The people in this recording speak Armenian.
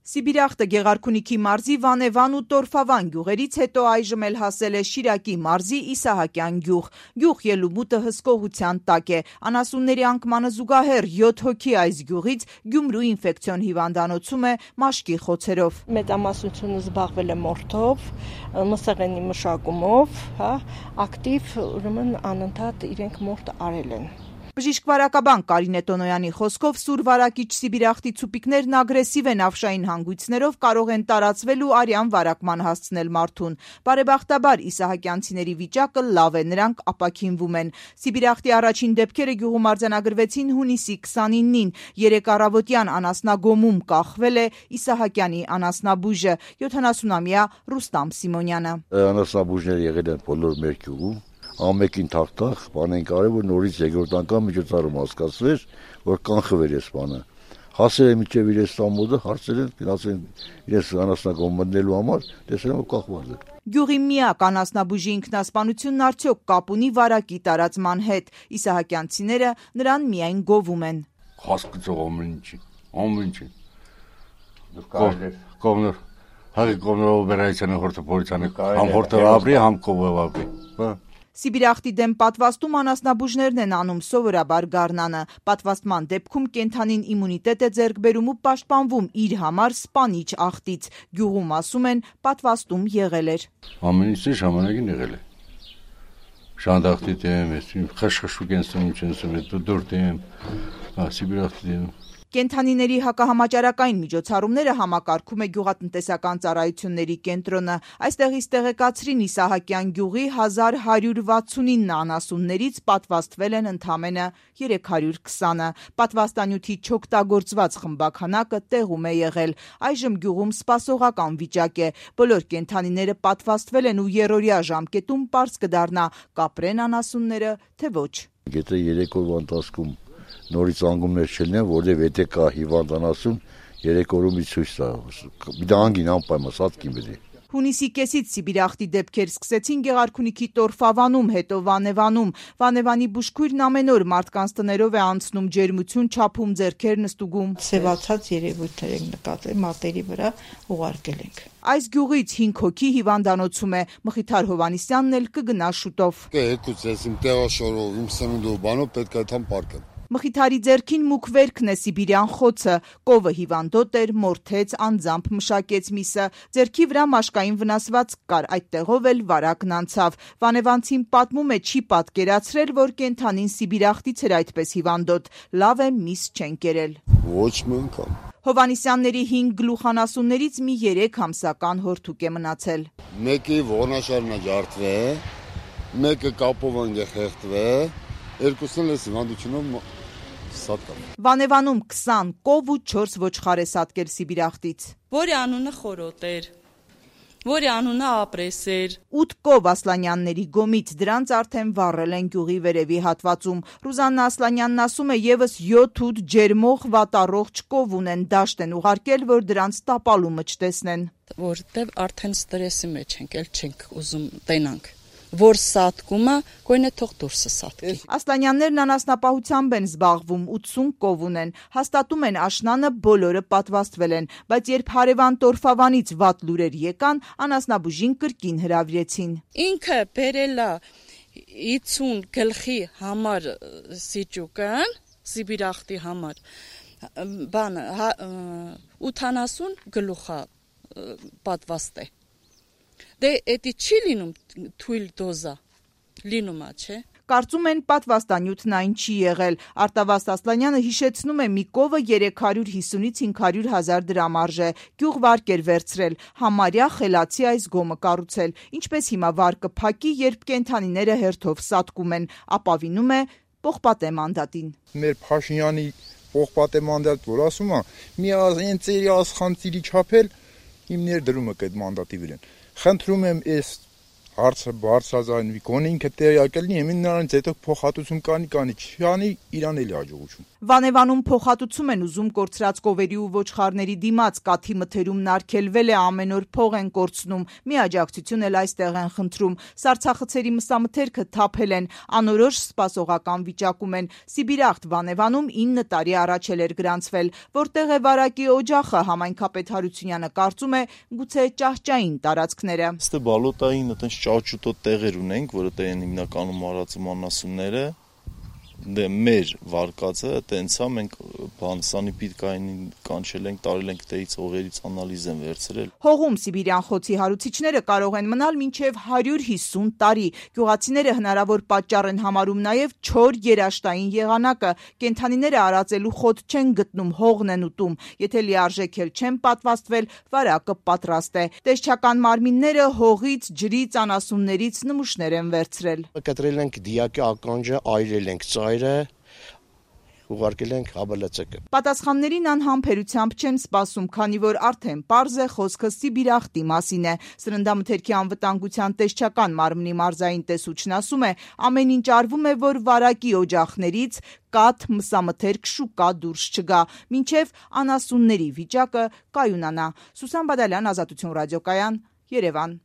Սիբիրախտը Գեղարքունիքի մարզի Վանևան ու Տորֆավան գյուղերից հետո այժմ էլ հասել է Շիրակի մարզի Իսահակյան գյուղ։ Գյուղ ելումուտը հսկողության տակ է։ Անասունների անկմանը զուգահեռ 7 հոգի այս գյուղից Գյումրու ինֆեկցիոն հիվանդանոցում է մաշկի խոցերով։ Մեծամասնությունը զբաղվել է մորթով, մսեղենի մշակումով, ակտիվ, ուրեմն անընդհատ իրենք մորթ արել են։ Բժիշկ-վարակաբան Կարինե Տոնոյանի խոսքով սուր վարակիչ սիբիրախտի ցուպիկներն ագրեսիվ են ավշային հանգույցներով կարող են տարածվել ու արյան վարակման հասցնել մարդուն։ Բարեբախտաբար իսահակյանցիների վիճակը լավ է, նրանք ապաքինվում են։ Սիբիրախտի առաջին դեպքերը գյուղում արձանագրվեցին հունիսի 29-ին։ Երեկ առավոտյան անասնագոմում կախվել է Իսահակյանի անասնաբույժը 70-ամյա Ռուստամ Սիմոնյանը։ Անասնաբույժներ եղել են բոլոր մեր գյուղում։ Ամեկին թախտախ բան են կարել, որ նորից երկրորդ անգամ միջոցառում հասկացվեր, որ կանխվեր այս բանը։ Հասել է մինչև իրենց տամոդը, հարցել են, գնացել իրենց անասնագոմ մտնելու համար, տեսել են, որ կախված է։ Գյուղի միակ անասնաբույժի ինքնասպանությունն արդյոք կապ ունի վարակի տարածման հետ։ Իսահակյանցիները նրան միայն գովում են։ Հասկացող ամեն ինչ։ Կողմներ, հաղի կողմներով բերայցանը հորտը պոլիցանը, համ հորտը ապրի, համ կողմով ապրի։ Սիբիրախտի դեմ պատվաստում անասնաբույժներն են անում սովորաբար գարնանը։ Պատվաստման դեպքում կենդանին իմունիտետ է ձեռք բերում ու պաշտպանվում իր համար սպանիչ աղտից։ Գյուղում ասում են պատվաստում եղել էր։ Ամեն ինչ ժամանակին եղել է։ Շանդախտի դեմ, խշխշուկ են սնում, դուր դեմ, Սիբիրախտի դեմ։ Կենդանիների հակահամաճարակային միջոցառումները համակարգում է գյուղատնտեսական ծառայությունների կենտրոնը։ Այստեղից տեղեկացրին Իսահակյան գյուղի 1169 անասուններից պատվաստվել են ընդամենը 320-ը։ Պատվաստանյութի չօգտագործված խմբաքանակը տեղում է եղել։ Այժմ գյուղում սպասողական վիճակ է։ Բոլոր կենդանիները պատվաստվել են ու երրորդյա ժամկետում պարզ կդառնա կապրեն անասունները, թե ոչ։ Եթե 3 օրվա ընթացքում նորից անգումներ չլինեն, որտեղ եթե կա հիվանդ անասուն, 3 օրում ցույց տա։ Դա անգին անպայման սատկին բերի։ Հունիսի կեսից Սիբիրախտի դեպքեր սկսեցին Գեղարքունիքի Տորֆավանում, հետո Վանևանում։ Վանևանի բուժքույրն ամեն օր մարդկանց տներով է անցնում, ջերմություն չափում, ձեռքերն ստուգում։ Սևացած երևույթներ ենք նկատել, մատերի վրա ուղարկել ենք։ Այս գյուղից 5 հոգի հիվանդանոցում է։ Մխիթար Հովանիսյանն էլ կգնա շուտով։ Իմ տեղաշորով, իմ սնունդով, բանով պետք է այդքան պարկեմ։ Մխիթարի ձեռքին մուգ վերքն է սիբիրյան խոցը, կովը հիվանդոտ էր, մորթեց, անձամբ մշակեց միսը, ձեռքի վրա մաշկային վնասվածք կար, այդտեղով էլ վարակն անցավ։ Վանևանցին պատմում է, չի պատկերացրել, որ կենդանին Սիբիրախտից էր այդպես հիվանդոտ, լավ է միս չեն կերել։ Ոչ մի անգամ։ Հովանիսյանների 5 գլուխանասուններից մի 3 ամսական հորթուկ է մնացել։ Մեկի ողնաշարն է ջարդվել, մեկը կապով է խեղդվել, երկուսն էլ հիվանդությունով սատկան։ Վանևանում 20 կով ու 4 ոչխար է սատկել Սիբիրախտից։ Որի անունը Խորոտ էր, որի անունը Ապրես էր։ 8 կով Ասլանյանների գոմից, դրանց արդեն վառել են գյուղի վերևի հատվածում։ Ռուզաննա Ասլանյանն ասում է, եւս 7-8 ջերմող վատառողջ կով ունեն, դաշտ են ուղարկել, որ դրանց տապալումը չտեսնեն։ Որտեւ արդեն ստրեսի մեջ ենք, էլ չենք ուզում տենանք։ Որ սատկումը գույնը թող դուրսը սատկի։ Ասլանյաններն անասնապահությամբ են զբաղվում, 80 կով ունեն, հաստատում են աշնանը բոլորը պատվաստվել են, բայց երբ հարևան Տորֆավանից վատ լուրեր եկան, անասնաբուժին կրկին հրավիրեցին։ Ինքը բերել է 50 գլխի համար սիճուկան, Սիբիրախտի համար, բանը 80 գլուխա պատվաստ է։ Դե էդի չի լինում թույլ դոզա, լինում է, չէ։ Կարծում են պատվաստանյութն այն չի եղել։ Արտավազդ Ասլանյանը հիշեցնում է, մի կովը 350-ից 500 հազար դրամ արժե։ Գյուղ վարկ էր վերցրել, համարյա խելացի այս գոմը կառուցել։ Ինչպես հիմա վարկը փակի, երբ կենդանիները հերթով սատկում են, ապավինում է Պողպատե մանդատին։ Մեր Փաշինյանի Պողպատե մանդատ, որ ասում է, մի ծերի ասխանցիրի չափել իմ ներդրումը կդ մանդատի վրան։ Խնդրում եմ այս հարցը բարձրաձայնվի, գոնե ինքը տեղյակ լինի, եմին նրանից հետո փոխհատուցում կանի, չանի իրան էլի հաջողություն։ Վանևանում փոխհատուցում են ուզում կորցրած կովերի ու ոչխարների դիմաց, կաթի մթերումն արգելվել է, ամեն օր փող են կորցնում, մի աջակցություն էլ այստեղ են խնդրում։ Սառցախցերի մսամթերքը թափել են, անորոշ սպասողական վիճակում են։ Սիբիրախտ Վանևանում 9 տարի առաջ էր գրանցվել, որտեղ է վարակի օջախը, համայնքապետ Հարությունյանը կարծում է, գուցե ճահճային տարածքները։ Ստե բալոտային այտենց ճաճուտո տեղեր ունենք, որը տեն հիմնականում արածում անասունները, դե մեր վարկածը տենց է, մենք սանիպիդկային կանչել ենք, տարել ենք տեից հողերից անալիզ են վերցրել։ Հողում Սիբիրյան խոցի հարուցիչները կարող են մնալ մինչև 150 տարի։ Գյուղացիները հնարավոր պատճառ են համարում նաև չոր երաշտային եղանակը, կենդանիները արածելու խոտ չեն գտնում, հողն են ուտում, եթե լիարժեք էլ չեն պատվաստվել, վարակը պատրաստ է։ Տեսչական մարմինները հողից, ջրից, անասուններից նմուշներ են վերցրել։ Կտրել ենք դիակի ականջը, այրել ենք ծայրը, ուղարկել ենք ՀԲԼՑԿ։ Պատասխաններին անհամբերությամբ չեն սպասում, քանի որ արդեն պարզ է խոսքը Սիբիրախտի մասին է։ Սննդամթերքի անվտանգության տեսչական մարմնի մարզային տեսուչն ասում է, ամեն ինչ արվում է, որ վարակի օջախներից կաթ, մսամթերք, շուկա դուրս չգա, մինչև անասունների վիճակը կայունանա։ Սուսան Բադալյան, Ազատություն ռադիոկայան, Երևան։